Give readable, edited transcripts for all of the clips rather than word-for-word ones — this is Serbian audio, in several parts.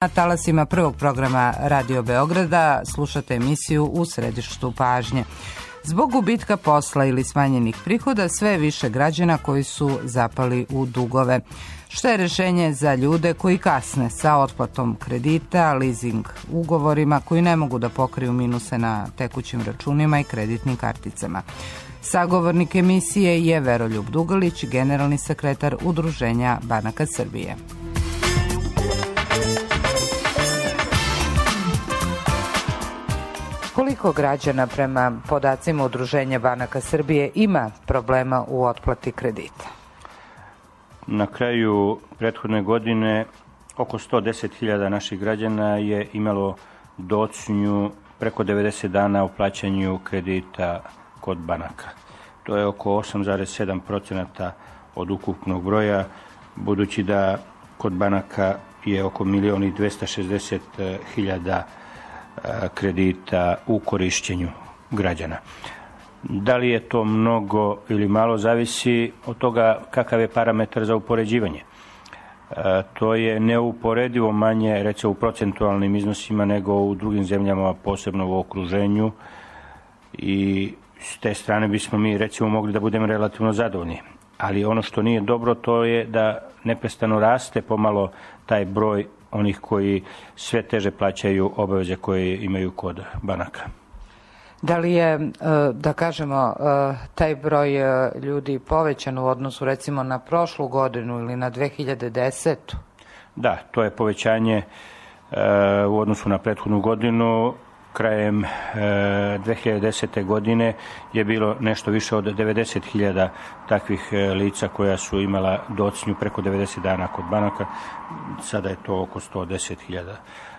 Na talasima prvog programa Radio Beograda slušate emisiju U središtu pažnje. Zbog gubitka posla ili smanjenih prihoda sve je više građana koji su zapali u dugove. Što je rješenje za ljude koji kasne sa otplatom kredita, leasing ugovorima koji ne mogu da pokriju minuse na tekućim računima i kreditnim karticama? Sagovornik emisije je Veroljub Dugalić, generalni sekretar Udruženja banaka Srbije. Koliko građana prema podacima Udruženja banaka Srbije ima problema u otplati kredita? Na kraju prethodne godine oko 110.000 naših građana je imalo docnju preko 90 dana u plaćanju kredita kod banaka. To je oko 8,7% od ukupnog broja, budući da kod banaka je oko 1.260.000 kredita u korišćenju građana. Da li je to mnogo ili malo, zavisi od toga kakav je parametar za upoređivanje. To je neuporedivo manje, recimo u procentualnim iznosima, nego u drugim zemljama, posebno u okruženju, i s te strane bismo mi recimo mogli da budemo relativno zadovoljni. Ali ono što nije dobro, to je da neprestano raste pomalo taj broj onih koji sve teže plaćaju obaveze koje imaju kod banaka. Da li je, da kažemo, taj broj ljudi povećan u odnosu recimo na prošlu godinu ili na 2010. Da, to je povećanje u odnosu na prethodnu godinu. Krajem 2010. godine je bilo nešto više od 90.000 takvih lica koja su imala docnju preko 90 dana kod banaka. Sada je to oko 110.000.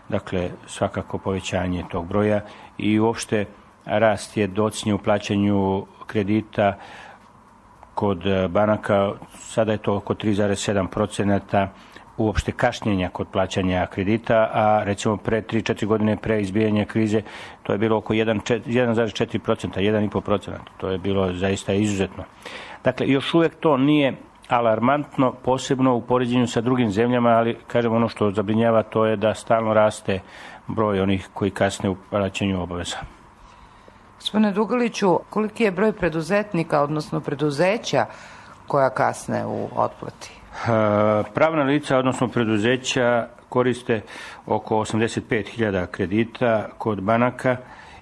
Dakle, svakako povećanje tog broja i uopšte rast je docnje u plaćanju kredita kod banaka. Sada je to oko 3,7% uopšte kašnjenja kod plaćanja kredita, a recimo pre 3-4 godine pre izbijanja krize to je bilo oko 1,4%, 1,5%. To je bilo zaista izuzetno. Dakle, još uvijek to nije alarmantno, posebno u poređenju sa drugim zemljama, ali kažem, ono što zabrinjava to je da stalno raste broj onih koji kasne u plaćanju obaveza. Gospodine Dugaliću, koliki je broj preduzetnika, odnosno preduzeća koja kasne u otplati? Pravna lica, odnosno preduzeća, koriste oko 85.000 kredita kod banaka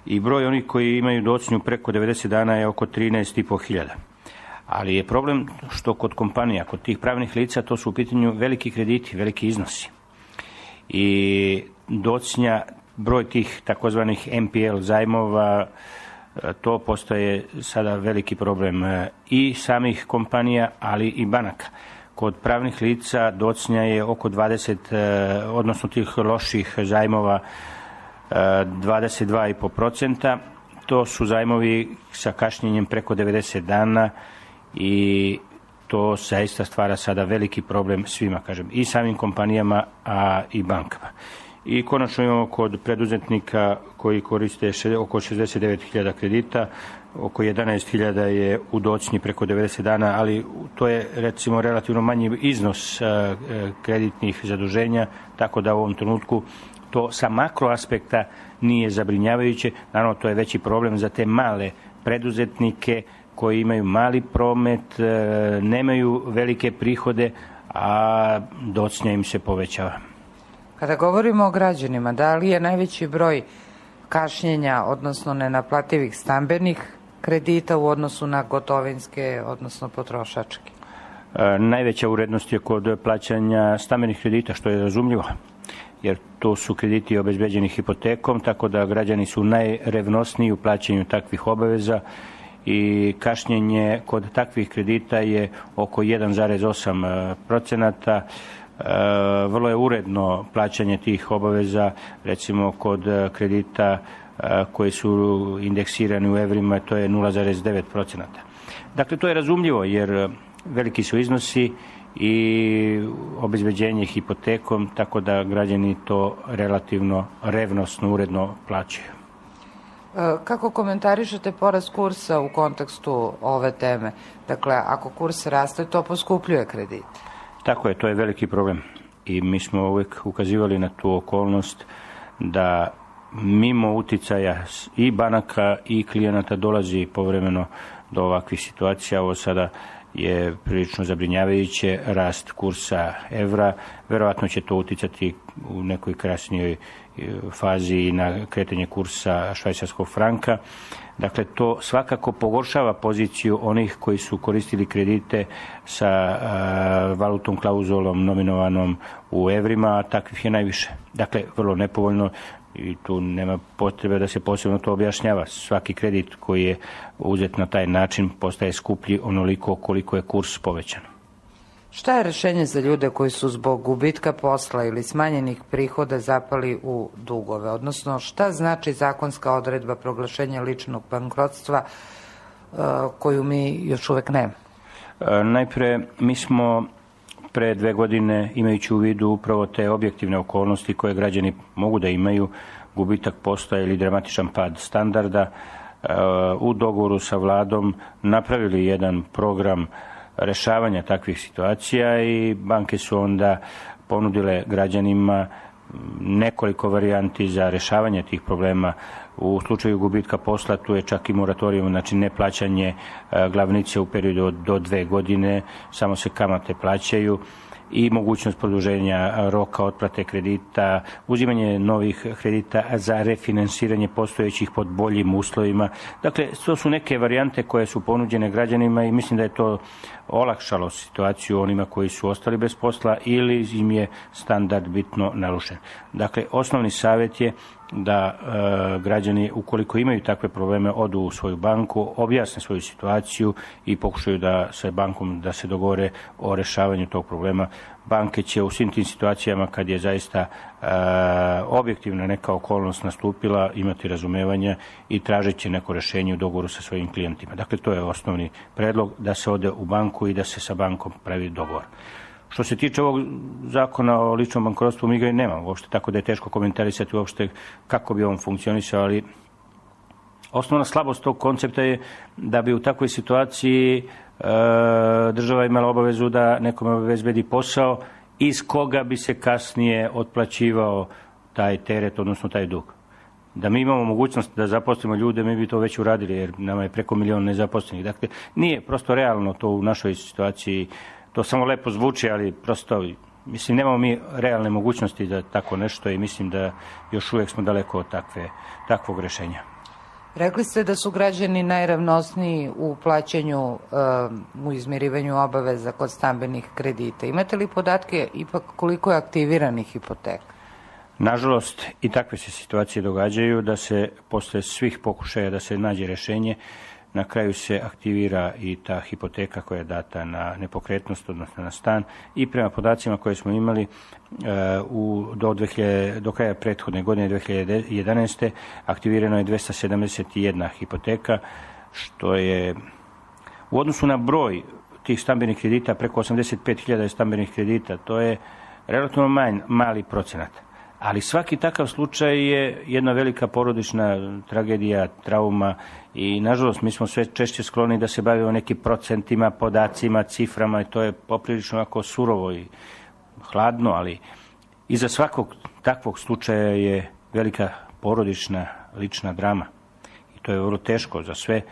i broj onih koji imaju docnju preko 90 dana je oko 13.500. Ali je problem što kod kompanija, kod tih pravnih lica, to su u pitanju veliki krediti, veliki iznosi. I docnja, broj tih takozvanih NPL zajmova, to postaje sada veliki problem i samih kompanija, ali i banaka. Kod pravnih lica docnja je oko 20, odnosno tih loših zajmova 22,5%. To su zajmovi sa kašnjenjem preko 90 dana i to zaista stvara sada veliki problem svima, kažem, i samim kompanijama, a i bankama. I konačno imamo kod preduzetnika koji koriste oko 69.000 kredita, oko 11.000 je u docnji preko 90 dana, ali to je recimo relativno manji iznos kreditnih zaduženja, tako da u ovom trenutku to sa makro aspekta nije zabrinjavajuće. Naravno, to je veći problem za te male preduzetnike koji imaju mali promet, nemaju velike prihode, a docnja im se povećava. Kada govorimo o građanima, da li je najveći broj kašnjenja, odnosno nenaplativih stambenih kredita u odnosu na gotovinske, odnosno potrošačke? Najveća urednost je kod plaćanja stambenih kredita, što je razumljivo, jer to su krediti obezbeđeni hipotekom, tako da građani su najrevnosniji u plaćanju takvih obaveza i kašnjenje kod takvih kredita je oko 1,8%. Vrlo je uredno plaćanje tih obaveza, recimo kod kredita koji su indeksirani u evrima, to je 0,9%. Dakle, to je razumljivo jer veliki su iznosi i obezbeđenje hipotekom, tako da građani to relativno revnosno, uredno plaćaju. Kako komentarišete porast kursa u kontekstu ove teme? Dakle, ako kurs raste, to poskupljuje kredit. Tako je, to je veliki problem. i mi smo uvijek ukazivali na tu okolnost da mimo uticaja i banaka i klijenata dolazi povremeno do ovakvih situacija. Ovo sada je prilično zabrinjavajuće, rast kursa evra, verovatno će to uticati u nekoj kasnijoj fazi i na kretanje kursa švajcarskog franka. Dakle, to svakako pogoršava poziciju onih koji su koristili kredite sa valutnom klauzulom nominovanom u evrima, a takvih je najviše. Dakle, vrlo nepovoljno i tu nema potrebe da se posebno to objašnjava. Svaki kredit koji je uzet na taj način postaje skuplji onoliko koliko je kurs povećan. Šta je rješenje za ljude koji su zbog gubitka posla ili smanjenih prihoda zapali u dugove? Odnosno, šta znači zakonska odredba proglašenja ličnog bankrotstva koju mi još uvijek nemamo? Najpre, mi smo pre 2 godine, imajući u vidu upravo te objektivne okolnosti koje građani mogu da imaju, gubitak posla ili dramatičan pad standarda, u dogovoru sa vladom napravili jedan program rešavanja takvih situacija i banke su onda ponudile građanima nekoliko varijanti za rešavanje tih problema. U slučaju gubitka posla tu je čak i moratorijum, znači neplaćanje glavnice u periodu do 2 godine, samo se kamate plaćaju i mogućnost produženja roka otplate kredita, uzimanje novih kredita za refinansiranje postojećih pod boljim uslovima. Dakle, to su neke varijante koje su ponuđene građanima i mislim da je to olakšalo situaciju onima koji su ostali bez posla ili im je standard bitno narušen. Dakle, osnovni savjet je da građani, ukoliko imaju takve probleme, odu u svoju banku, objasne svoju situaciju i pokušaju da sa bankom da se dogovore o rešavanju tog problema. Banke će u svim tim situacijama, kad je zaista objektivna neka okolnost nastupila, imati razumevanja i tražit će neko rešenje u dogovoru sa svojim klijentima. Dakle, to je osnovni predlog, da se ode u banku i da se sa bankom pravi dogovor. Što se tiče ovog zakona o ličnom bankrotstvu, mi ga i nemamo uopšte, tako da je teško komentarisati uopšte kako bi on funkcionisao, ali osnovna slabost tog koncepta je da bi u takvoj situaciji država imala obavezu da nekome obezbedi posao iz koga bi se kasnije otplaćivao taj teret, odnosno taj dug. Da mi imamo mogućnost da zaposlimo ljude, mi bi to već uradili, jer nama je preko 1 milion nezaposlenih. Dakle, nije prosto realno to u našoj situaciji. To samo lepo zvuči, ali prosto, mislim, nemamo mi realne mogućnosti da tako nešto i mislim da još uvijek smo daleko od takvog rešenja. Rekli ste da su građani najravnosniji u plaćanju, u izmirivanju obaveza kod stambenih kredita. Imate li podatke ipak koliko je aktiviranih hipoteka? Nažalost, i takve se situacije događaju da se posle svih pokušaja da se nađe rešenje, na kraju se aktivira i ta hipoteka koja je data na nepokretnost, odnosno na stan, i prema podacima koje smo imali do kraja prethodne godine 2011. aktivirano je 271 hipoteka, što je u odnosu na broj tih stambenih kredita, preko 85.000 stambenih kredita, to je relativno mali procenat. Ali svaki takav slučaj je jedna velika porodična tragedija, trauma i nažalost mi smo sve češće skloni da se bavimo nekim procentima, podacima, ciframa i to je poprilično ovako surovo i hladno, ali iza svakog takvog slučaja je velika porodična lična drama i to je vrlo teško za sve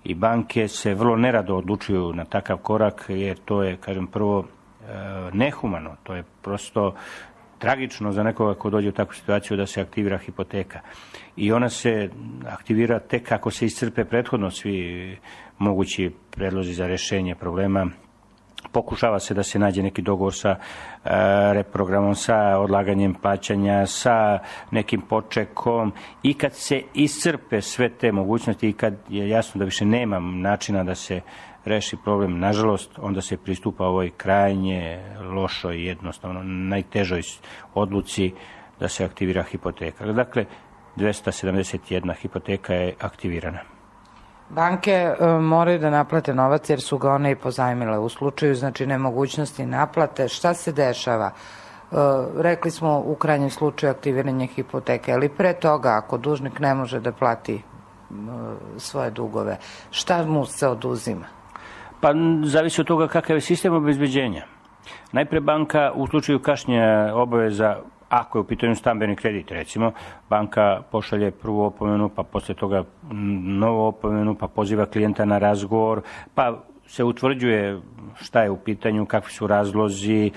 i banke se vrlo nerado odlučuju na takav korak jer to je, kažem, prvo nehumano, to je prosto tragično za nekoga ko dođe u takvu situaciju da se aktivira hipoteka. I ona se aktivira tek kako se iscrpe prethodno svi mogući predlozi za rešenje problema. Pokušava se da se nađe neki dogovor sa reprogramom, sa odlaganjem plaćanja, sa nekim počekom i kad se iscrpe sve te mogućnosti i kad je jasno da više nema načina da se reši problem, nažalost, onda se pristupa ovoj krajnje lošoj, jednostavno najtežoj odluci da se aktivira hipoteka. Dakle, 271 hipoteka je aktivirana. Banke moraju da naplate novac jer su ga one i pozajmile. U slučaju, znači, nemogućnosti naplate, šta se dešava? Rekli smo u krajnjem slučaju aktiviranje hipoteke, ali pre toga, ako dužnik ne može da plati svoje dugove, šta mu se oduzima? Pa zavisi od toga kakav je sistem obezbeđenja. Najpre banka u slučaju kašnjenja obaveza, ako je u pitanju stambeni kredit, recimo, banka pošalje prvu opomenu, pa posle toga novu opomenu, pa poziva klijenta na razgovor, pa se utvrđuje šta je u pitanju, kakvi su razlozi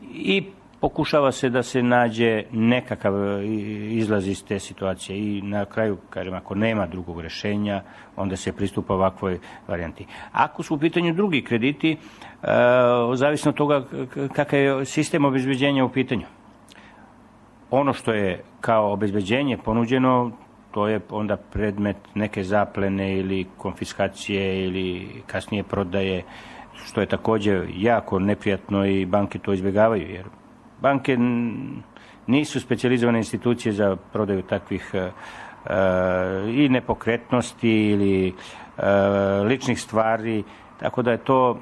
i pokušava se da se nađe nekakav izlaz iz te situacije i na kraju, kažem, ako nema drugog rešenja, onda se pristupa ovakvoj varijanti. Ako su u pitanju drugi krediti, zavisno od toga kakav je sistem obezbeđenja u pitanju. Ono što je kao obezbeđenje ponuđeno, to je onda predmet neke zaplene ili konfiskacije ili kasnije prodaje, što je također jako neprijatno i banke to izbjegavaju, jer banke nisu specijalizovane institucije za prodaju takvih i nepokretnosti ili ličnih stvari, tako da je to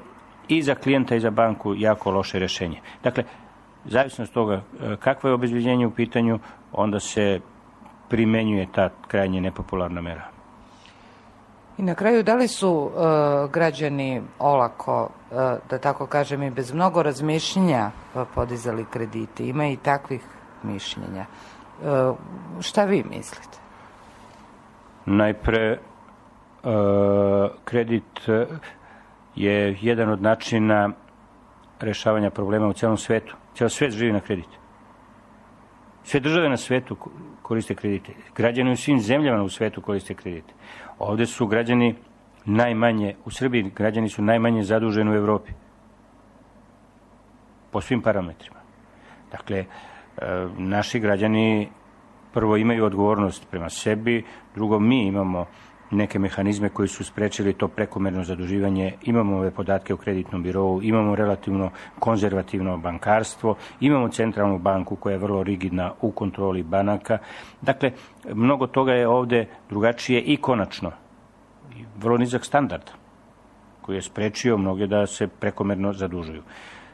i za klijenta i za banku jako loše rješenje. Dakle, zavisno od toga kakvo je obezbeđenje u pitanju, onda se primenjuje ta krajnje nepopularna mera. I na kraju, da li su građani olako, da tako kažem, i bez mnogo razmišljenja podizali kredite? Ima i takvih mišljenja. Šta vi mislite? Najpre, kredit je jedan od načina rešavanja problema u celom svetu. Cijel svet živi na kredit. Sve države na svetu koriste kredite. Građani u svim zemljama u svetu koriste kredite. Ovde su građani najmanje, u Srbiji građani su najmanje zaduženi u Evropi. Po svim parametrima. Dakle, naši građani prvo imaju odgovornost prema sebi, drugo mi imamo neke mehanizme koji su sprečili to prekomerno zaduživanje, imamo ove podatke o kreditnom birovu, imamo relativno konzervativno bankarstvo, imamo centralnu banku koja je vrlo rigidna u kontroli banaka. Dakle, mnogo toga je ovde drugačije i konačno. Vrlo nizak standard koji je sprečio mnoge da se prekomerno zadužuju.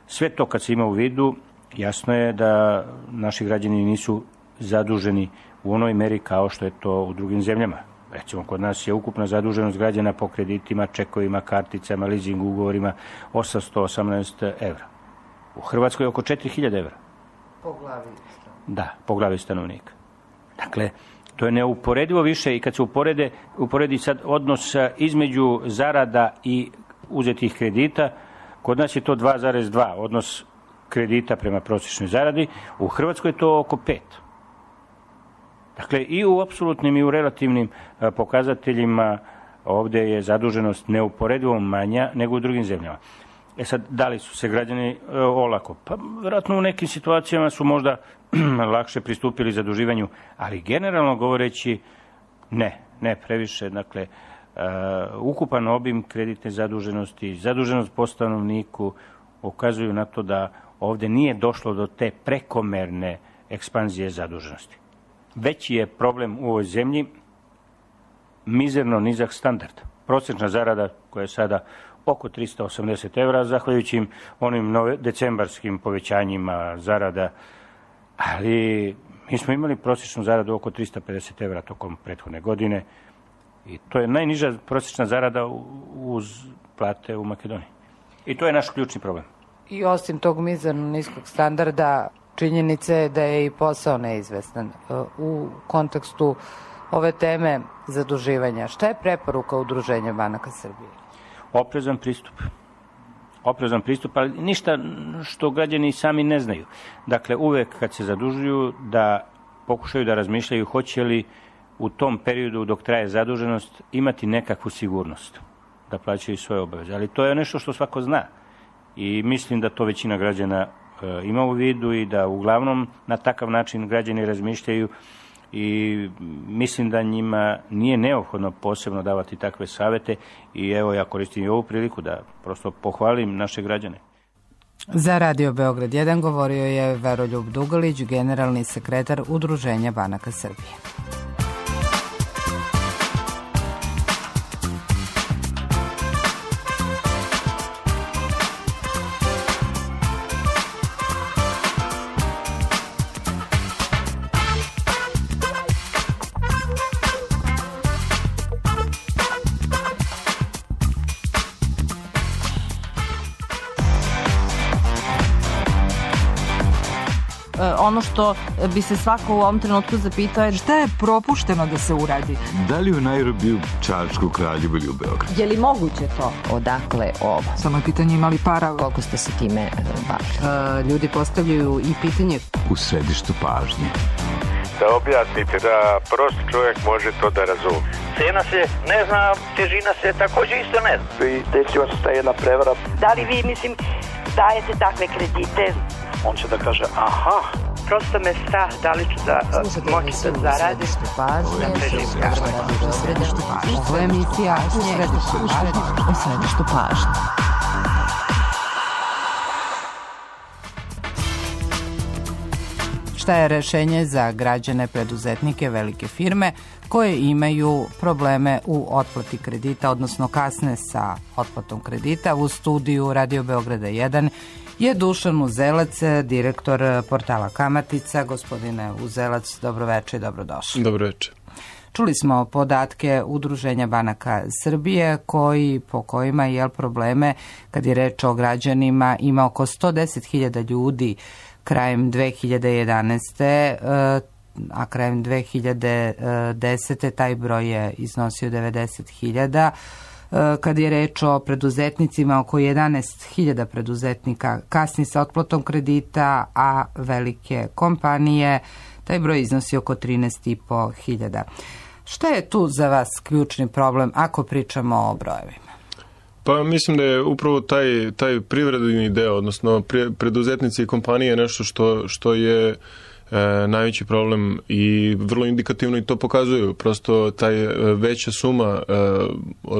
Sve to kad se ima u vidu, jasno je da naši građani nisu zaduženi u onoj meri kao što je to u drugim zemljama. Recimo, kod nas je ukupna zaduženost građana po kreditima, čekovima, karticama, leasing ugovorima 818 evra. U Hrvatskoj je oko 4000 evra. Po glavi stanovnika. Da, po glavi stanovnika. Dakle, to je neuporedivo više i kad se uporedi sad odnos između zarada i uzetih kredita, kod nas je to 2,2 odnos kredita prema prosječnoj zaradi, u Hrvatskoj je to oko 5. Dakle, i u apsolutnim i u relativnim pokazateljima ovde je zaduženost neuporedivo manja nego u drugim zemljama. Sad, da li su se građani olako? Pa, vjerojatno u nekim situacijama su možda lakše pristupili zaduživanju, ali generalno govoreći ne previše. Dakle, ukupan obim kreditne zaduženosti, zaduženost po stanovniku ukazuju na to da ovde nije došlo do te prekomerne ekspanzije zaduženosti. Veći je problem u ovoj zemlji mizerno nizak standard. Prosječna zarada koja je sada oko 380 evra, zahvaljujući onim decembarskim povećanjima zarada, ali mi smo imali prosječnu zaradu oko 350 evra tokom prethodne godine i to je najniža prosječna zarada uz plate u Makedoniji. I to je naš ključni problem. I osim tog mizerno niskog standarda, činjenica je da je i posao neizvestan. U kontekstu ove teme zaduživanja, šta je preporuka Udruženja banaka Srbije? Oprezan pristup, ali ništa što građani sami ne znaju. Dakle, uvek kad se zadužuju da pokušaju da razmišljaju hoće li u tom periodu dok traje zaduženost imati nekakvu sigurnost da plaćaju svoje obaveze. Ali to je nešto što svako zna i mislim da to većina građana ima u vidu i da uglavnom na takav način građani razmišljaju i mislim da njima nije neophodno posebno davati takve savete i evo ja koristim i ovu priliku da prosto pohvalim naše građane. Za Radio Beograd 1 govorio je Veroljub Dugalić, generalni sekretar Udruženja banaka Srbije. ono što bi se svako u ovom trenutku zapitao je šta je propušteno da se uradi? Da li u Nairobiju, Čačku, Kraljevu ili u Beogradu? Je li moguće to? Odakle ovo? Samo je pitanje imali para. Koliko ste se time bavili? Ljudi postavljaju i pitanje u središtu pažnje. Da objasnite da prost čovjek može to da razumije. Cena se ne zna, težina se također isto ne zna. I desila se ta jedna prevara. Da li vi, dajete takve kredite? On će da kaže, aha. Prosto me strah, da li ću da moći da zaradim. Ovo je emisija u središtu pažnje. Šta je rešenje za građane, preduzetnike, velike firme koje imaju probleme u otplati kredita, odnosno kasne sa otplatom kredita? U studiju Radio Beograda 1 je Dušan Uzelac, direktor portala Kamatica. Gospodine Uzelac, dobroveče i dobrodošli. Dobroveče. Čuli smo podatke Udruženja banaka Srbije po kojima je probleme kad je reč o građanima ima oko 110.000 ljudi krajem 2011. A krajem 2010. taj broj je iznosio 90.000. Kad je reč o preduzetnicima, oko 11.000 preduzetnika kasni sa otplatom kredita, a velike kompanije, taj broj iznosi oko 13.500. Šta je tu za vas ključni problem ako pričamo o brojevima? Pa mislim da je upravo taj privredni deo, odnosno preduzetnici i kompanije nešto što je najveći problem i vrlo indikativno i to pokazuju. Prosto taj veća suma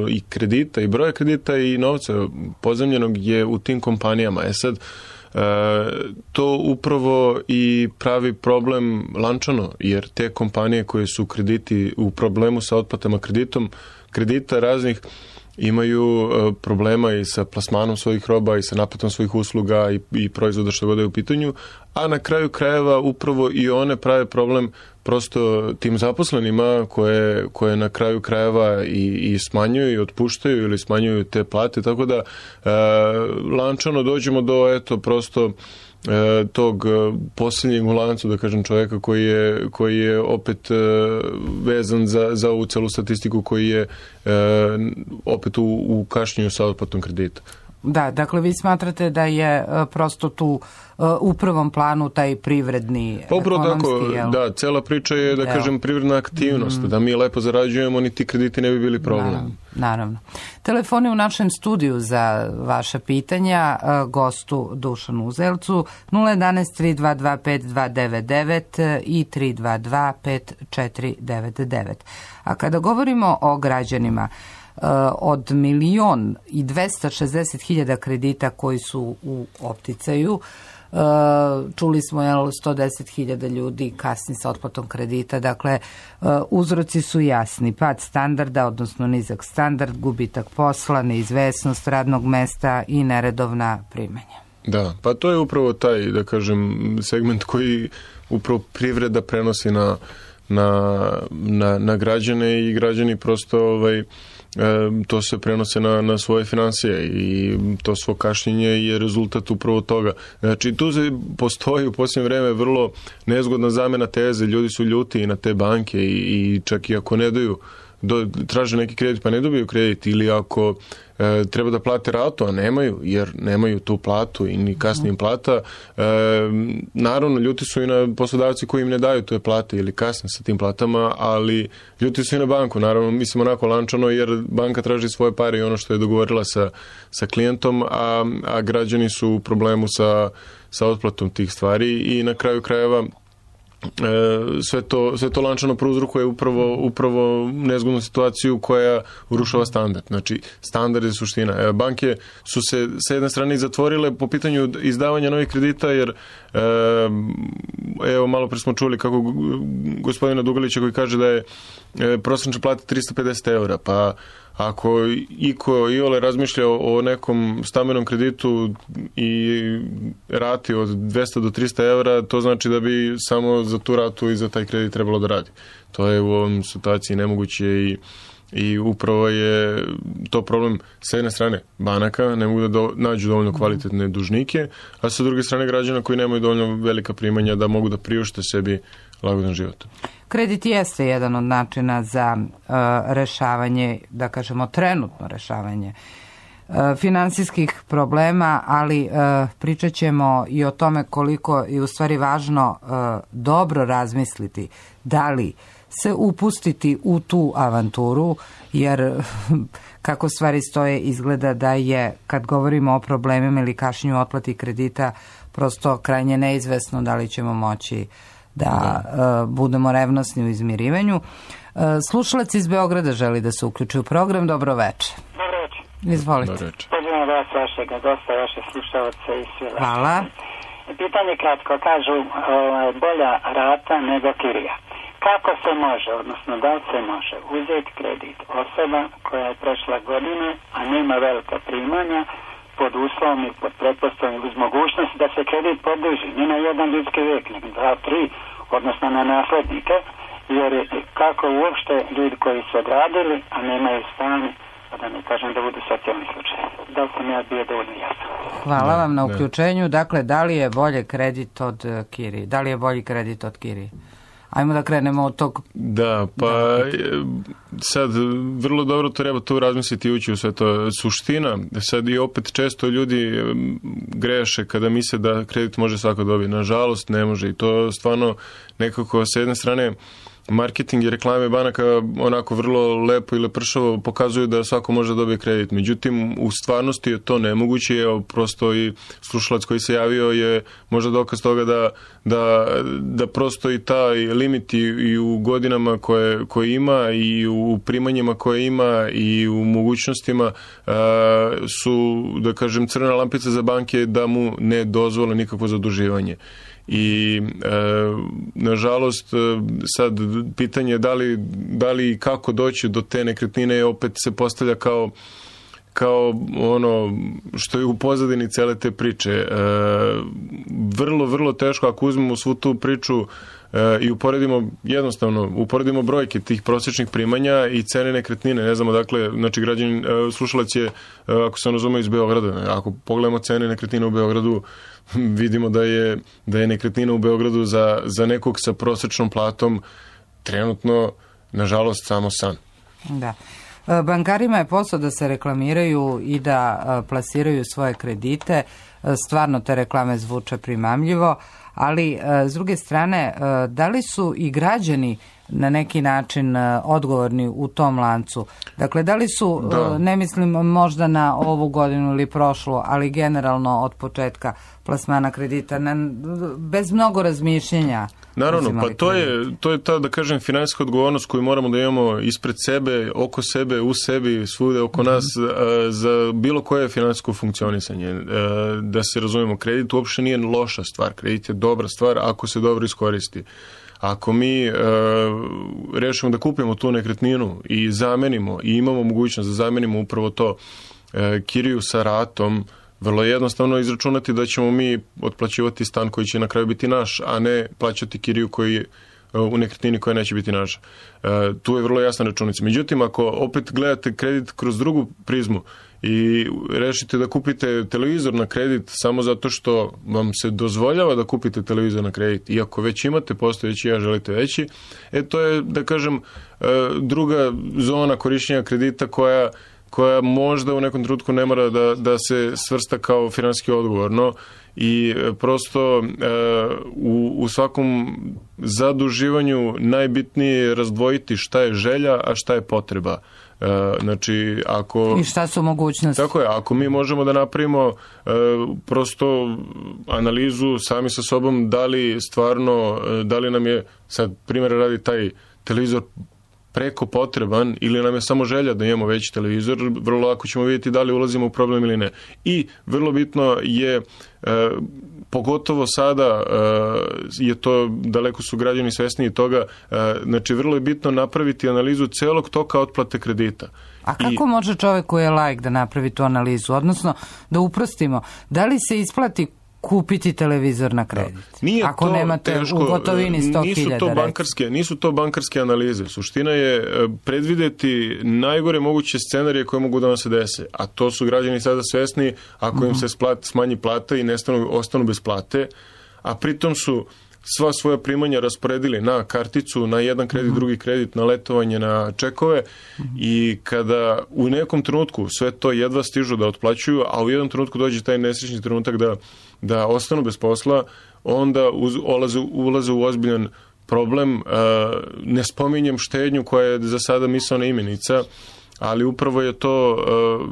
i kredita i broja kredita i novca pozemljenog je u tim kompanijama. Sad, to upravo i pravi problem lančano, jer te kompanije koje su krediti u problemu sa otplatama kredita raznih imaju problema i sa plasmanom svojih roba i sa naplatom svojih usluga i proizvoda što god je u pitanju, a na kraju krajeva upravo i one prave problem prosto tim zaposlenima koje na kraju krajeva i smanjuju i otpuštaju ili smanjuju te plate, tako da lančano dođemo do prosto tog posljednjeg u lancu, da kažem, čovjeka koji je opet vezan za ovu celu statistiku, koji je opet u kašnjenju sa otplatom kredita. Da, dakle vi smatrate da je prosto tu u prvom planu taj privredni ekonomski... Da, cela priča je, da kažem, privredna aktivnost. Da mi lepo zarađujemo, ni ti krediti ne bi bili problem. Naravno. Telefoni u našem studiju za vaša pitanja gostu Dušanu Uzelcu 011 322 5299 i 322 5499. A kada govorimo o građanima, od 1.260.000 kredita koji su u opticaju, čuli smo 110.000 ljudi kasni sa otplatom kredita, dakle uzroci su jasni: pad standarda, odnosno nizak standard, gubitak posla, neizvesnost radnog mesta i neredovna primanja. Da, pa to je upravo taj, da kažem, segment koji upravo privreda prenosi na građane i građani prosto to se prenose na svoje financije i to svo kašnjenje je rezultat upravo toga. Znači, tu postoji u posljednje vreme vrlo nezgodna zamena teze. Ljudi su ljuti i na te banke i čak i ako ne daju, traže neki kredit pa ne dobiju kredit, ili ako treba da plate ratu, a nemaju, jer nemaju tu platu i ni kasnije im plata. Naravno, ljuti su i na poslodavci koji im ne daju te plate ili kasne sa tim platama, ali ljuti su i na banku. Naravno, mislim onako lančano, jer banka traži svoje pare i ono što je dogovorila sa klijentom, a građani su u problemu sa otplatom tih stvari i na kraju krajeva sve to lančano prouzrokuje upravo nezgodnu situaciju koja urušava standard. Znači, standard je suština. Banke su se sa jedne strane zatvorile po pitanju izdavanja novih kredita, jer malo pre smo čuli kako gospodina Dugalića koji kaže da je prosječna plata 350 eura, pa ako iko iole razmišlja o nekom stambenom kreditu i rati od 200 do 300 eura, to znači da bi samo za tu ratu i za taj kredit trebalo da radi. To je u ovom situaciji nemoguće i upravo je to problem s jedne strane banaka, ne mogu da nađu dovoljno kvalitetne dužnike, a sa druge strane građana koji nemaju dovoljno velika primanja da mogu da priušte sebi lagodan život. Kredit jeste jedan od načina za rešavanje, da kažemo trenutno rešavanje finansijskih problema, ali pričat ćemo i o tome koliko je u stvari važno dobro razmisliti da li se upustiti u tu avanturu, jer kako stvari stoje izgleda da je, kad govorimo o problemima ili kašnju otplati kredita, prosto krajnje neizvesno da li ćemo moći da budemo revnosni u izmirivanju. Slušalac iz Beograda želi da se uključi u program. Dobro večer. Dobro večer. Izvolite. Pozdravam vas, vašeg gosta, vaše slušalce i sve vaše. Hvala. Pitanje kratko, kažu bolja rata nego kirija. Kako se može, odnosno da li se može uzeti kredit osoba koja je prešla godine, a nema velika primanja, pod uslovom i pod pretpostavljom uz mogućnost da se kredit produži, ne na jedan ljudski vijek, nego 2-3, odnosno na naslednike, jer kako uopšte ljudi koji su odradili, a nemaju stanje, pa da ne kažem da budu socijalni slučaj. Da li sam ja bio dovoljno jasan? Hvala vam na uključenju. Dakle, da li je bolje kredit od kirije? Da li je bolji kredit od kirije? Ajmo da krenemo od tog... Da, pa sad vrlo dobro treba tu razmisliti i ući u sve to. Suština, sad i opet često ljudi greše kada misle da kredit može svako dobiti. Nažalost ne može i to stvarno nekako sa jedne strane marketing i reklame banaka onako vrlo lepo i lepršavo pokazuju da svako može dobiti kredit. Međutim, u stvarnosti je to nemoguće. Evo, prosto i slušalac koji se javio je možda dokaz toga da prosto i taj limit i u godinama koje ima i u primanjima koje ima i u mogućnostima su, da kažem, crvena lampica za banke da mu ne dozvole nikakvo zaduživanje. I nažalost sad pitanje da li i kako doći do te nekretnine opet se postavlja kao ono što je u pozadini cele te priče. Vrlo, vrlo teško ako uzmemo svu tu priču i uporedimo brojke tih prosječnih primanja i cene nekretnine. Ne znamo, dakle, znači građanin, slušalac je, ako se razume, iz Beograda. Ako pogledamo cene nekretnine u Beogradu, vidimo da je nekretnina u Beogradu za nekog sa prosječnom platom trenutno, nažalost, samo san. Da. Bankarima je posao da se reklamiraju i da plasiraju svoje kredite. Stvarno te reklame zvuče primamljivo, ali s druge strane, da li su i građani na neki način odgovorni u tom lancu? Dakle, da li su, ne mislim možda na ovu godinu ili prošlu, ali generalno od početka plasmana kredita, bez mnogo razmišljenja? Naravno, pa to je ta, da kažem, finansijska odgovornost koju moramo da imamo ispred sebe, oko sebe, u sebi, svude oko nas, za bilo koje finansijsko funkcionisanje. Da se razumemo, kredit uopšte nije loša stvar, kredit je dobra stvar ako se dobro iskoristi. Ako mi rešimo da kupimo tu nekretninu i zamenimo i imamo mogućnost da zamenimo upravo to kiriju sa ratom, vrlo je jednostavno izračunati da ćemo mi otplaćivati stan koji će na kraju biti naš, a ne plaćati kiriju u nekretnini koja neće biti naša. Tu je vrlo jasna računica. Međutim, ako opet gledate kredit kroz drugu prizmu i rešite da kupite televizor na kredit samo zato što vam se dozvoljava da kupite televizor na kredit, iako već imate postojeći, a želite veći, to je, da kažem, druga zona korišćenja kredita koja možda u nekom trenutku ne mora da se svrsta kao finansijski odgovorno i prosto u svakom zaduživanju najbitnije je razdvojiti šta je želja, a šta je potreba. Znači, i šta su mogućnosti? Tako je, ako mi možemo da napravimo prosto analizu sami sa sobom da li nam je, sad primjera radi, taj televizor preko potreban ili nam je samo želja da imamo veći televizor, vrlo lako ćemo vidjeti da li ulazimo u problem ili ne. I vrlo bitno je, pogotovo sada je to, daleko su građani svesniji toga, znači vrlo je bitno napraviti analizu celog toka otplate kredita. A kako može čovjek koji je laik da napravi tu analizu? Odnosno, da uprostimo, da li se isplati kupiti televizor na kredit. Nije ako to nemate teško, u gotovini 100.000. Nisu to bankarske analize. Suština je predvideti najgore moguće scenarije koje mogu da vam se dese. A to su građani sada svesni ako im se smanji plata i ostanu bez plate, a pritom su sva svoja primanja rasporedili na karticu, na jedan kredit, drugi kredit, na letovanje, na čekove i kada u nekom trenutku sve to jedva stižu da otplaćuju, a u jednom trenutku dođe taj nesrećni trenutak da ostanu bez posla, onda ulaze u ozbiljan problem. Ne spominjem štednju koja je za sada misaona imenica, ali upravo je to,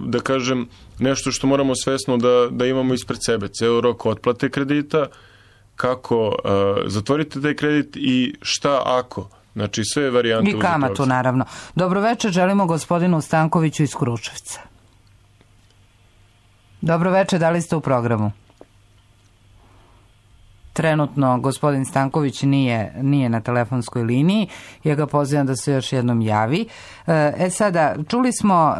da kažem, nešto što moramo svesno da imamo ispred sebe. Ceo rok otplate kredita, kako zatvorite taj kredit i šta ako. Znači sve varijante. I kamatu, naravno. Dobro večer, želimo gospodinu Stankoviću iz Kruševca. Dobro večer, da li ste u programu? Trenutno gospodin Stanković nije na telefonskoj liniji. Ja ga pozivam da se još jednom javi. Sada, čuli smo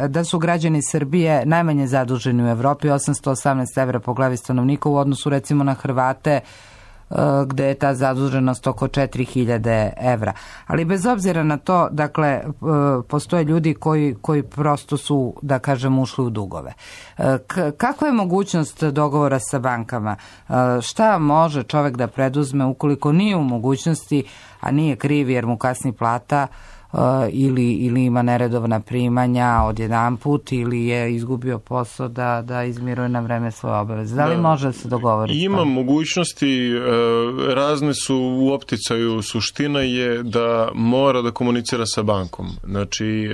da su građani Srbije najmanje zaduženi u Evropi, 818 evra po glavi stanovnika u odnosu recimo na Hrvate, gde je ta zaduženost oko 4.000 evra. Ali bez obzira na to, dakle, postoje ljudi koji prosto su, da kažem, ušli u dugove. Kakva je mogućnost dogovora sa bankama? Šta može čovek da preduzme ukoliko nije u mogućnosti, a nije kriv jer mu kasni plata, ili ima neredovna primanja odjedanput ili je izgubio posao da izmiruje na vreme svoje obaveze. Da li može se dogovoriti? Ima mogućnosti, razne su u opticaju. Suština je da mora da komunicira sa bankom. Znači,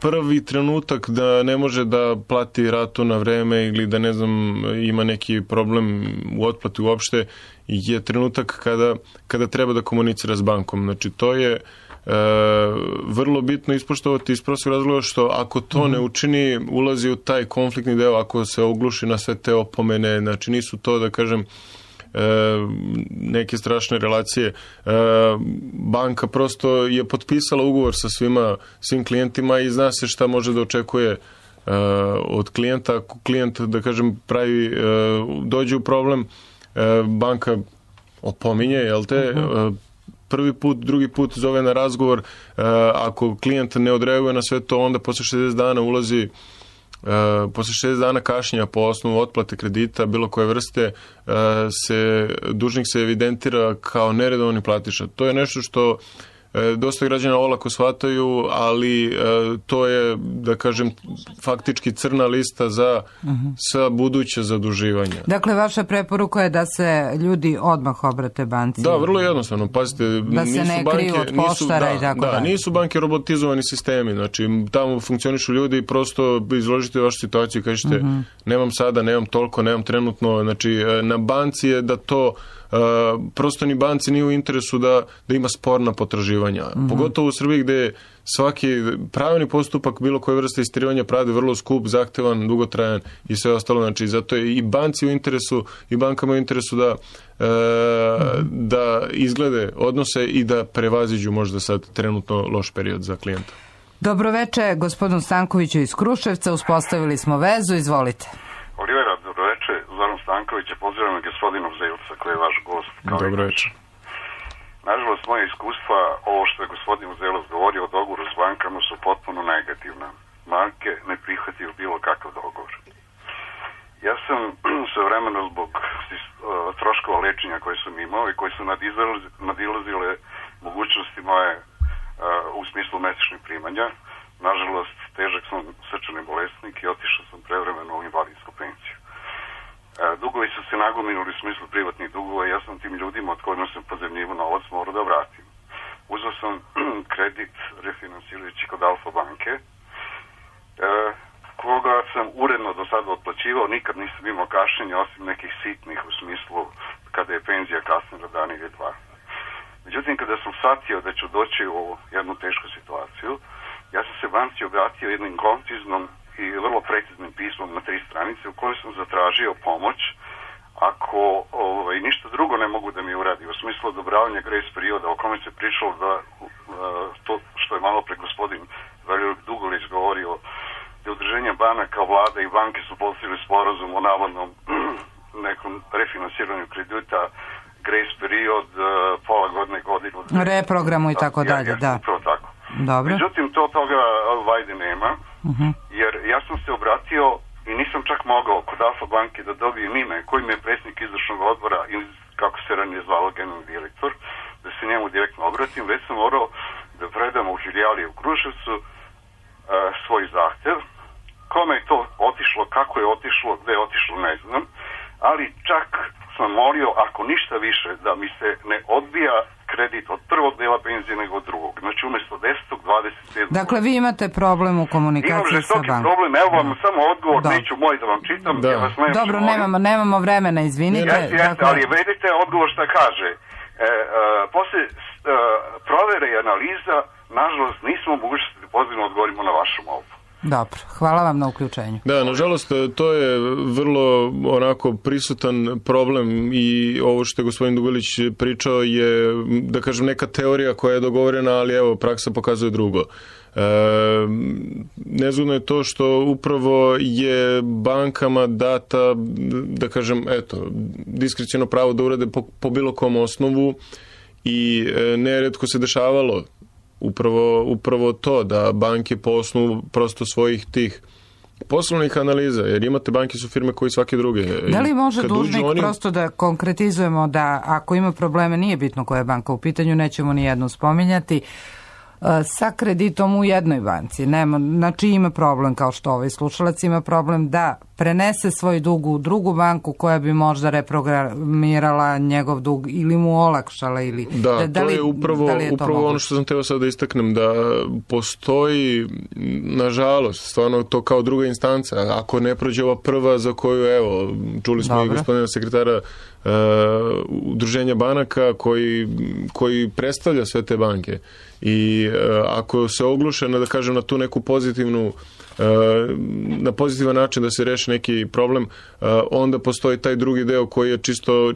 prvi trenutak da ne može da plati ratu na vreme ili da, ne znam, ima neki problem u otplati uopšte, je trenutak kada treba da komunicira s bankom. Znači, to je vrlo bitno ispoštovati iz prostog razloga što ako to ne učini, ulazi u taj konfliktni deo, ako se ogluši na sve te opomene, znači nisu to, da kažem, neke strašne relacije. Banka prosto je potpisala ugovor sa svim klijentima i zna se šta može da očekuje od klijenta. Ako klijent, da kažem, dođe u problem, banka opominje, jel te, prvi put, drugi put zove na razgovor, ako klijent ne odreaguje na sve to, onda posle 60 dana ulazi, posle 60 dana kašnjenja po osnovu otplate kredita bilo koje vrste, dužnik se evidentira kao neredovni platiša. To je nešto što dosta građana olako shvataju, ali to je, da kažem, faktički crna lista za buduće zaduživanje. Dakle, vaša preporuka je da se ljudi odmah obrate banci. Da, vrlo jednostavno. Pazite, da se ne kriju od poštara i tako dalje. Nisu banke robotizovani sistemi. Znači, tamo funkcionišu ljudi i prosto izložite vašu situaciju i kažete nemam sada, nemam toliko, nemam trenutno. Znači, na banci je da to prosto ni banci nije u interesu da ima sporna potraživanja. Pogotovo u Srbiji gde svaki pravni postupak bilo koje vrste istirivanja pravde vrlo skup, zahtevan, dugotrajan i sve ostalo. Znači, zato je i banci u interesu i bankama u interesu da izglede odnose i da prevaziđu možda sad trenutno loš period za klijenta. Dobro večer, gospodinu Stankoviću iz Kruševca. Uspostavili smo vezu, izvolite. Olivera, dobro večer. Zoran Stanković je pozdravom gospodinu Zelca koji je vaš gost. Dobro večer. Nažalost, moje iskustva, ovo što je gospodin Zelac govorio o dogovoru s bankama su potpuno negativna. Banke ne prihvataju bilo kakav dogovor. Ja sam sve vremena zbog troškova lečenja koje sam imao i koje su nadilazile mogućnosti moje u smislu mesečnih primanja. Nažalost, težak sam srčani bolesnik i otišao sam prevremeno u invalidsku penciju. Dugovi su se nagomilili u smislu privatnih dugova i ja sam tim ljudima od kojima sam pozemljivo novac morao da vratim. Uzeo sam kredit refinansirajući kod Alfa banke, koga sam uredno do sada otplaćivao, nikad nisam imao kašnjenja osim nekih sitnih u smislu kada je penzija kasnila dan ili dva. Međutim, kada sam shvatio da ću doći u jednu tešku situaciju, ja sam se banci obratio jednim konciznom i vrlo preciznim pismom na 3 stranice u kojoj sam zatražio pomoć ako ništa drugo ne mogu da mi uradi u smislu odobravanja grace perioda o kome se pričalo da to što je malo pre gospodin Veljur Dugolić govorio da udruženja banaka, vlada i banke su postigli sporazum o navodnom nekom refinansiranju kredita, grace period, pola godine, godinu. Reprogramu i tako dalje, da. Upravo tako. Dobro. Međutim, toga vajde nema, jer ja sam se obratio i nisam čak mogao kod Alfa banke da dobijem ime kojim je predsjednik izvršnog odbora ili kako se ranije zvalo generalni direktor, da se njemu direktno obratim, već sam morao da predam u filijali u Kruševcu svoj zahtev. Kome je to otišlo, kako je otišlo, gde je otišlo, ne znam, ali čak sam molio, ako ništa više, da mi se ne odbija kredit od prvog dela penzije nego od drugog. Znači umjesto 10. 27. Dakle, vi imate problem u komunikaciji sa bankom. Imam problem, evo vam samo odgovor, neću moj da vam čitam. Da. Ja vas Dobro, nemamo vremena, izvinite. Jeste, ali vedite odgovor šta kaže. Posle provere i analiza, nažalost, nismo mogućnosti da pozivno odgovorimo na vašu molbu. Dobro, hvala vam na uključenju. Da, nažalost, to je vrlo onako prisutan problem i ovo što je gospodin Dugalić pričao je, da kažem, neka teorija koja je dogovorena, ali evo, praksa pokazuje drugo. Nezgodno je to što upravo je bankama data, da kažem, eto, diskreciono pravo da urade po bilo kom osnovu i neretko se dešavalo upravo to da banke po osnovu prosto svojih tih poslovnih analiza, jer imate banke su firme koji svake druge. Da li može dužnik prosto da konkretizujemo da ako ima probleme, nije bitno koja je banka u pitanju, nećemo ni jednu spominjati, sa kreditom u jednoj banci. Znači ima problem, kao što ovaj slušalac ima problem, da prenese svoj dug u drugu banku koja bi možda reprogramirala njegov dug ili mu olakšala. Ili, da to je upravo ono što sam teo sad da istaknem, da postoji, nažalost, stvarno to kao druga instanca. Ako ne prođe ova prva za koju, evo, čuli smo i gospodina sekretara udruženja banaka koji predstavlja sve te banke. I ako se ogluše na, da kažem, na tu neku pozitivnu, na pozitivan način da se reši neki problem, onda postoji taj drugi deo koji je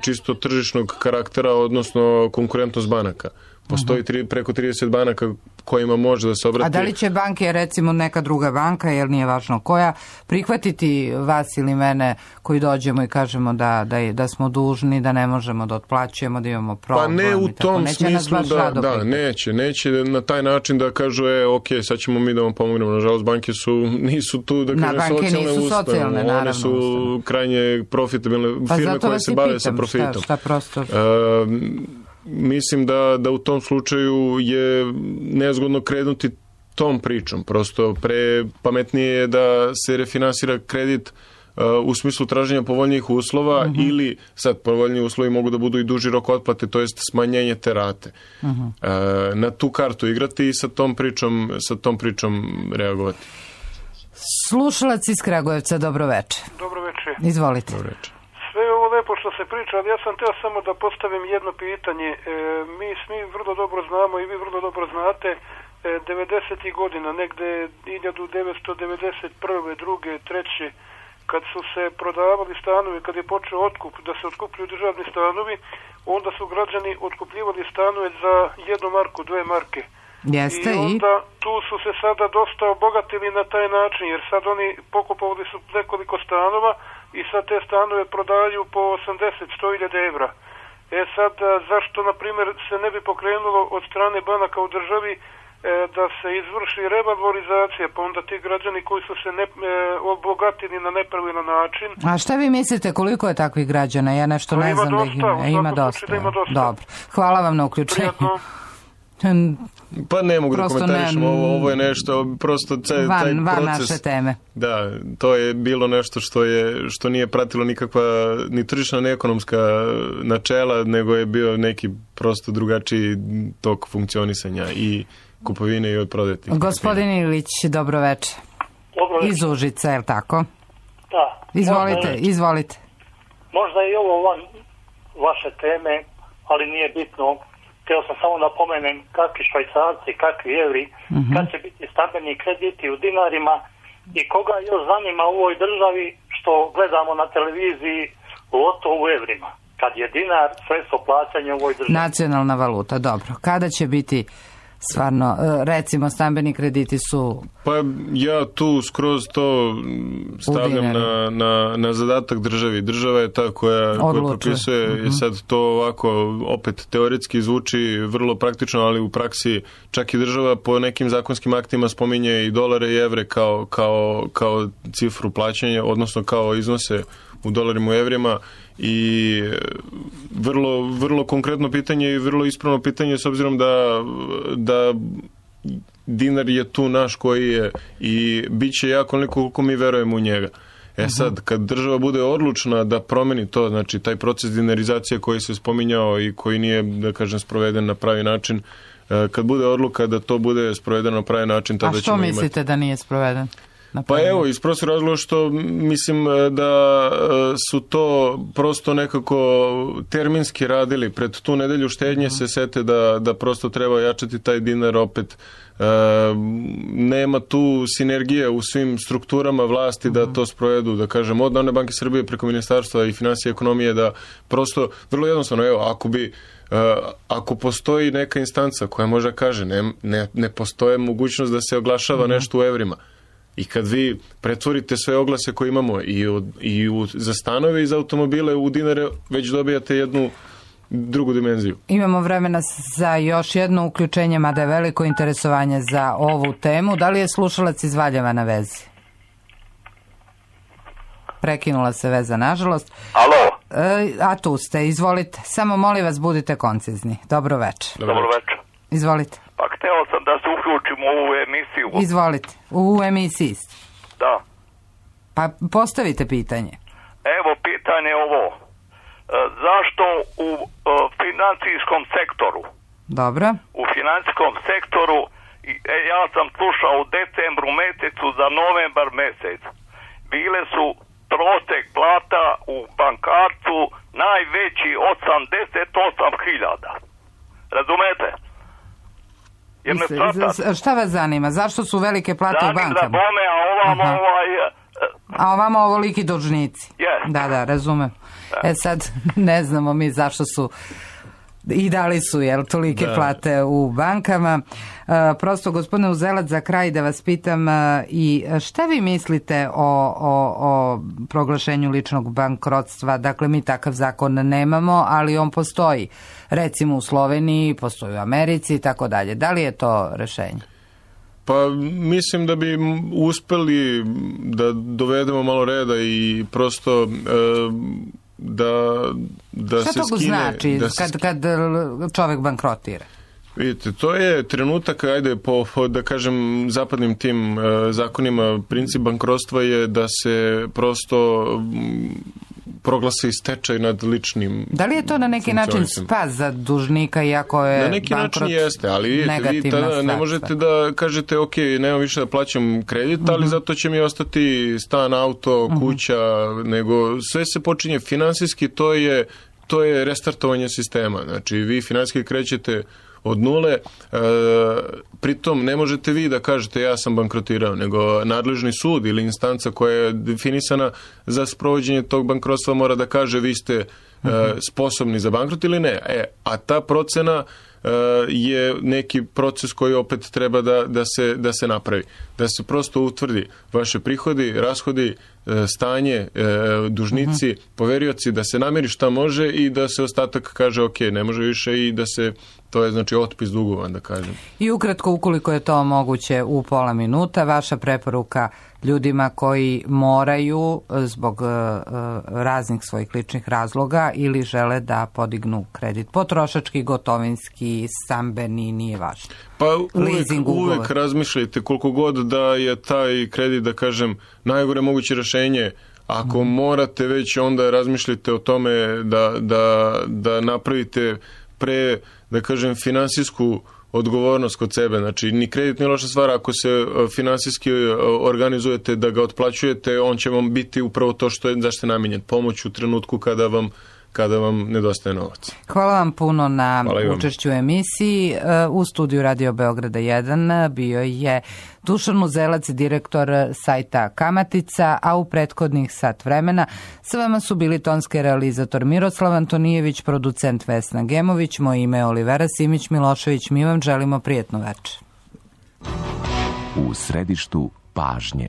čisto tržišnog karaktera, odnosno konkurentnost banaka. Postoji preko 30 banaka kojima može da se obrati. A da li će banke, recimo neka druga banka, jer nije važno koja, prihvatiti vas ili mene koji dođemo i kažemo da smo dužni, da ne možemo da otplaćujemo, da imamo problem? Pa ne u tom smislu neće na taj način da kažu ok, sad ćemo mi da vam pomognemo. Nažalost, banke nisu tu da kažem socijalne ustanove. One su krajnje profitabilne firme koje se bave sa profitom. Šta prosto... Mislim da u tom slučaju je nezgodno krenuti tom pričom. Prosto pametnije je da se refinansira kredit u smislu traženja povoljnijih uslova ili sad povoljniji uslovi mogu da budu i duži rok otplate, to jest smanjenje te rate. Na tu kartu igrati i sa tom pričom reagovati. Slušalac iz Kragujevca, dobro veče. Dobro veče. Izvolite. Dobro veče. Sve je ovo lepo što se priča, ali ja sam teo samo da postavim jedno pitanje. Mi svi vrlo dobro znamo i vi vrlo dobro znate 90. godina, negde 1991. 2. 3. kad su se prodavali stanovi, kad je počeo otkup, da se otkupljuju državni stanovi, onda su građani otkupljivali stanove za 1 marku, 2 marke. Jeste, I onda tu su se sada dosta obogatili na taj način, jer sad oni pokupovali su nekoliko stanova i sad te stanove prodaju po 80-100.000 evra. Sad, zašto, na primjer, se ne bi pokrenulo od strane banaka u državi da se izvrši revalorizacija, pa onda ti građani koji su se obogatili na nepravilan način. A šta vi mislite, koliko je takvih građana? Ja nešto ne znam da ih ima. Ima dosta. Dobro. Hvala vam na uključenju. Pa ne mogu da komentarišem, ovo je nešto, prosto taj proces... Van naše teme. Da, to je bilo nešto što nije pratilo nikakva ni tržišna, ni ekonomska načela, nego je bio neki prosto drugačiji tok funkcionisanja i kupovine i od prodati. Gospodin Ilić, dobro veče. Dobro veče. Iz Užica, je li tako? Da. Izvolite. Možda i ovo van vaše teme, ali nije bitno. Htio sam samo napomenem kakvi švajcarci, kakvi evri, kad će biti stambeni krediti u dinarima i koga još zanima u ovoj državi što gledamo na televiziji loto u evrima. Kad je dinar sredstvo plaćanja u ovoj državi. Nacionalna valuta, dobro. Kada će biti stvarno, recimo, stambeni krediti su... Pa ja tu skroz to stavljam na zadatak državi. Država je ta koja propisuje, sad to ovako opet teoretski zvuči vrlo praktično, ali u praksi čak i država po nekim zakonskim aktima spominje i dolare i evre kao cifru plaćanja, odnosno kao iznose u dolarima i evrima, i vrlo konkretno pitanje i vrlo ispravno pitanje, s obzirom da dinar je tu naš koji je i bit će jako onoliko koliko mi verujemo u njega. Sad, kad država bude odlučna da promeni to, znači taj proces dinarizacije koji se spominjao i koji nije, da kažem, sproveden na pravi način, kad bude odluka da to bude sprovedeno na pravi način, tada ćemo imati... A što mislite da nije sproveden? Pa evo, iz prostog razloga što mislim da su to prosto nekako terminski radili. Pred tu nedelju štednje se sete da prosto treba jačati taj dinar opet. Nema tu sinergije u svim strukturama vlasti da to sprovedu, da kažem, od Narodne banke Srbije preko Ministarstva i financije i ekonomije, da prosto, vrlo jednostavno, evo, ako postoji neka instanca koja može kaže ne postoje mogućnost da se oglašava nešto u evrima, i kad vi pretvorite sve oglase koje imamo za stanove i za automobile u dinare, već dobijate jednu drugu dimenziju. Imamo vremena za još jedno uključenje, mada je veliko interesovanje za ovu temu. Da li je slušalac iz Valjeva na vezi? Prekinula se veza, nažalost. Alo? A tu ste, izvolite. Samo molim vas, budite koncizni. Dobro večer. Dobro večer. Izvolite. Pa hteo sam da se uključim u ovu emisiju. Izvolite, u emisiji ste. Da. Pa postavite pitanje. Evo, pitanje je ovo. Zašto u financijskom sektoru? Dobro. U financijskom sektoru, ja sam slušao u decembru mesecu za novembar mesec. Bile su prosek plata u bankarcu najveći 88.000. Razumete? Šta vas zanima? Zašto su velike plate u bankama? Zanim za bome, a ovamo A ovamo ovoliki dužnici. Yes. Da, razumem. Sad ne znamo mi zašto su i da li su tolike plate u bankama. Prosto, gospodine Uzelac, za kraj da vas pitam, i šta vi mislite o proglašenju ličnog bankrotstva? Dakle, mi takav zakon nemamo, ali on postoji. Recimo u Sloveniji, postoji u Americi i tako dalje. Da li je to rešenje? Pa mislim da bi uspeli da dovedemo malo reda i prosto da se skine... Šta to znači kad čovjek bankrotira? Vidite, to je trenutak, po da kažem, zapadnim tim zakonima, princip bankrotstva je da se prosto proglasi stečaj nad ličnim. Da li je to na neki način spas za dužnika, iako je na neki način jeste, ali vidite, vi tada ne možete da kažete ok, nemam više da plaćam kredit, ali zato će mi ostati stan, auto, kuća, nego sve se počinje finansijski, to je restartovanje sistema. Znači, vi finansijski krećete od nule, pritom ne možete vi da kažete ja sam bankrotirao, nego nadležni sud ili instanca koja je definisana za sprovođenje tog bankrotstva mora da kaže vi ste sposobni za bankrot ili ne. A ta procena je neki proces koji opet treba da se napravi. Da se prosto utvrdi vaše prihodi, rashodi, stanje, dužnici, poverioci, da se nameri šta može i da se ostatak kaže ok, ne može više i da se, to je znači otpis dugova, da kažem. I ukratko, ukoliko je to moguće u pola minuta, vaša preporuka ljudima koji moraju zbog raznih svojih ličnih razloga ili žele da podignu kredit potrošački, gotovinski, stambeni, nije važno. Pa uvek razmišljajte koliko god da je taj kredit, da kažem, najgore moguće rešenje. Ako morate već, onda razmišljajte o tome da napravite pre, da kažem, finansijsku odgovornost kod sebe. Znači, ni kredit nije loša stvar, ako se finansijski organizujete da ga otplaćujete, on će vam biti upravo to što je zašto je namijenjen. Pomoć u trenutku kada vam kada vam nedostaje novac. Hvala vam puno na učešću u emisiji. U studiju Radio Beograda 1 bio je Dušan Muzelac, direktor sajta Kamatica, a u prethodnih sat vremena sa vama su bili tonski realizator Miroslav Antonijević, producent Vesna Gemović, moje ime je Olivera Simić-Milošević. Mi vam želimo prijatno večer. U središtu pažnje.